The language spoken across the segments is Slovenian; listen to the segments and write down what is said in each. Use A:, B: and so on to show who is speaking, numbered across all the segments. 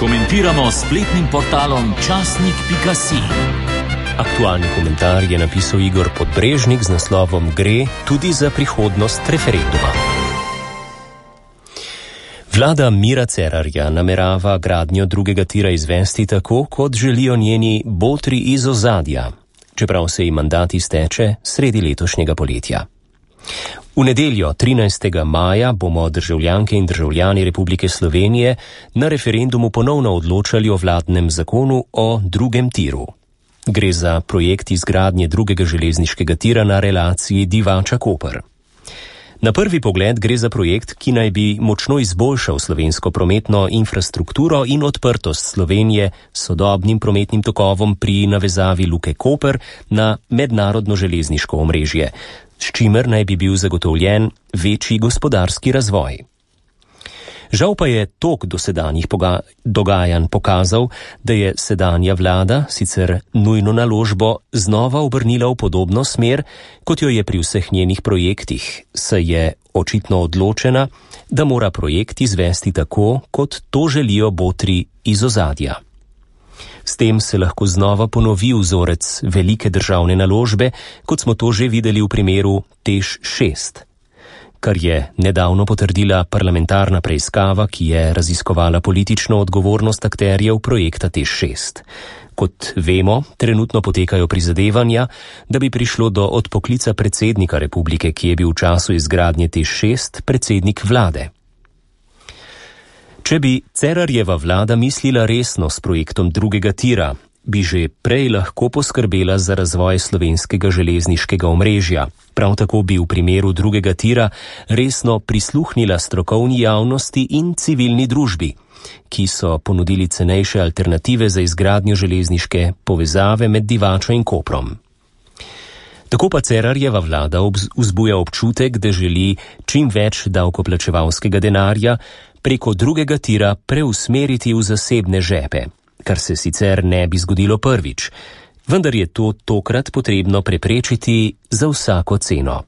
A: Komentiramo s spletnim portalom časnik.si.
B: Aktualni komentar je napisal Igor Podbrežnik z naslovom Gre tudi za prihodnost referenduma. Vlada Mira Cerarja namerava gradnjo drugega tira izvesti tako, kot želijo njeni botri iz ozadja, čeprav se ji mandat izteče sredi letošnjega poletja. V nedeljo 13. maja bomo državljanke in državljani Republike Slovenije na referendumu ponovno odločali o vladnem zakonu o drugem tiru. Gre za projekt izgradnje drugega železniškega tira na relaciji Divača-Koper. Na prvi pogled gre za projekt, ki naj bi močno izboljšal slovensko prometno infrastrukturo in odprtost Slovenije s sodobnim prometnim tokovom pri navezavi Luke Koper na mednarodno železniško omrežje, s čimer naj bi bil zagotovljen večji gospodarski razvoj. Žal pa je tok dosedanjih dogajanj pokazal, da je sedanja vlada sicer nujno naložbo znova obrnila v podobno smer, kot jo je pri vseh njenih projektih, saj je očitno odločena, da mora projekt izvesti tako, kot to želijo botri iz ozadja. S tem se lahko znova ponovi vzorec velike državne naložbe, kot smo to že videli v primeru TEŠ 6. Kar je nedavno potrdila parlamentarna preiskava, ki je raziskovala politično odgovornost akterjev projekta TEŠ 6. Kot vemo, trenutno potekajo prizadevanja, da bi prišlo do odpoklica predsednika republike, ki je bil v času izgradnje TEŠ 6 predsednik vlade. Če bi Cerarjeva vlada mislila resno s projektom drugega tira, bi že prej lahko poskrbela za razvoj slovenskega železniškega omrežja. Prav tako bi v primeru drugega tira resno prisluhnila strokovni javnosti in civilni družbi, ki so ponudili cenejše alternative za izgradnjo železniške povezave med Divačo in Koprom. Tako pa Cerarjeva vlada vzbuja občutek, da želi čim več davkoplačevalskega denarja preko drugega tira preusmeriti v zasebne žepe, kar se sicer ne bi zgodilo prvič, vendar je to tokrat potrebno preprečiti za vsako ceno.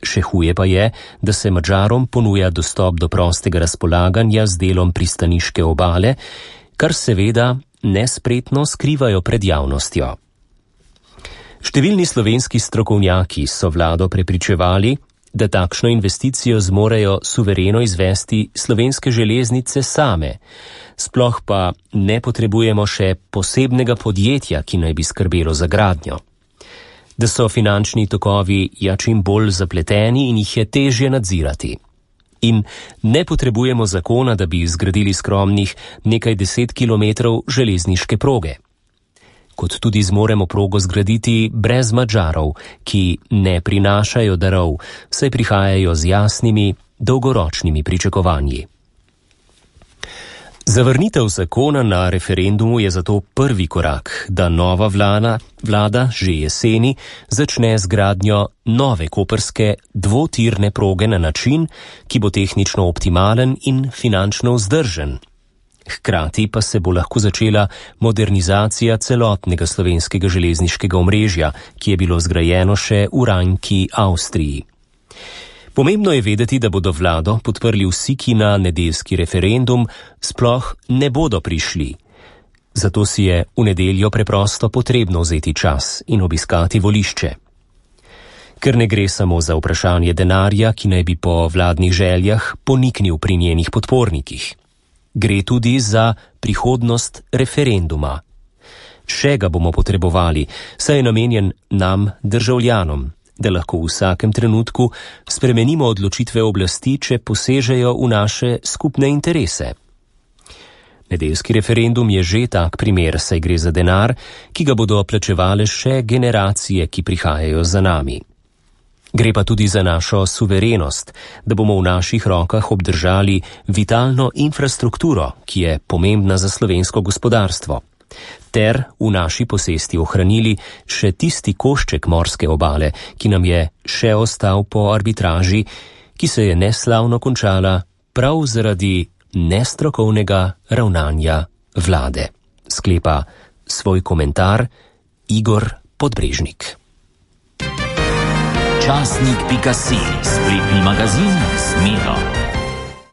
B: Še huje pa je, da se Madžarom ponuja dostop do prostega razpolaganja z delom pristaniške obale, kar seveda nespretno skrivajo pred javnostjo. Številni slovenski strokovnjaki so vlado prepričevali, da takšno investicijo zmorejo suvereno izvesti Slovenske železnice same, sploh pa ne potrebujemo še posebnega podjetja, ki naj bi skrbelo za gradnjo. Da so finančni tokovi čim bolj zapleteni in jih je težje nadzirati. In ne potrebujemo zakona, da bi zgradili skromnih nekaj 10 kilometrov železniške proge. Kot tudi zmoremo progo zgraditi brez Madžarov, ki ne prinašajo darov, saj prihajajo z jasnimi, dolgoročnimi pričakovanji. Zavrnitev zakona na referendumu je zato prvi korak, da nova vlada že jeseni začne z gradnjo nove koprske dvotirne proge na način, ki bo tehnično optimalen in finančno vzdržen. Hkrati pa se bo lahko začela modernizacija celotnega slovenskega železniškega omrežja, ki je bilo zgrajeno še v rajnki Avstriji. Pomembno je vedeti, da bodo vlado podprli vsi, ki na nedeljski referendum sploh ne bodo prišli. Zato si je v nedeljo preprosto potrebno vzeti čas in obiskati volišče. Ker ne gre samo za vprašanje denarja, ki naj bi po vladnih željah poniknil pri njenih podpornikih. Gre tudi za prihodnost referenduma. Še ga bomo potrebovali, saj je namenjen nam, državljanom, da lahko v vsakem trenutku spremenimo odločitve oblasti, če posežejo v naše skupne interese. Nedeljski referendum je že tak primer, saj gre za denar, ki ga bodo plačevale še generacije, ki prihajajo za nami. Gre pa tudi za našo suverenost, da bomo v naših rokah obdržali vitalno infrastrukturo, ki je pomembna za slovensko gospodarstvo, ter v naši posesti ohranili še tisti košček morske obale, ki nam je še ostal po arbitraži, ki se je neslavno končala prav zaradi nestrokovnega ravnanja vlade. Sklepa svoj komentar Igor Podbrežnik.
A: Časnik.si, spletni magazin z Miro.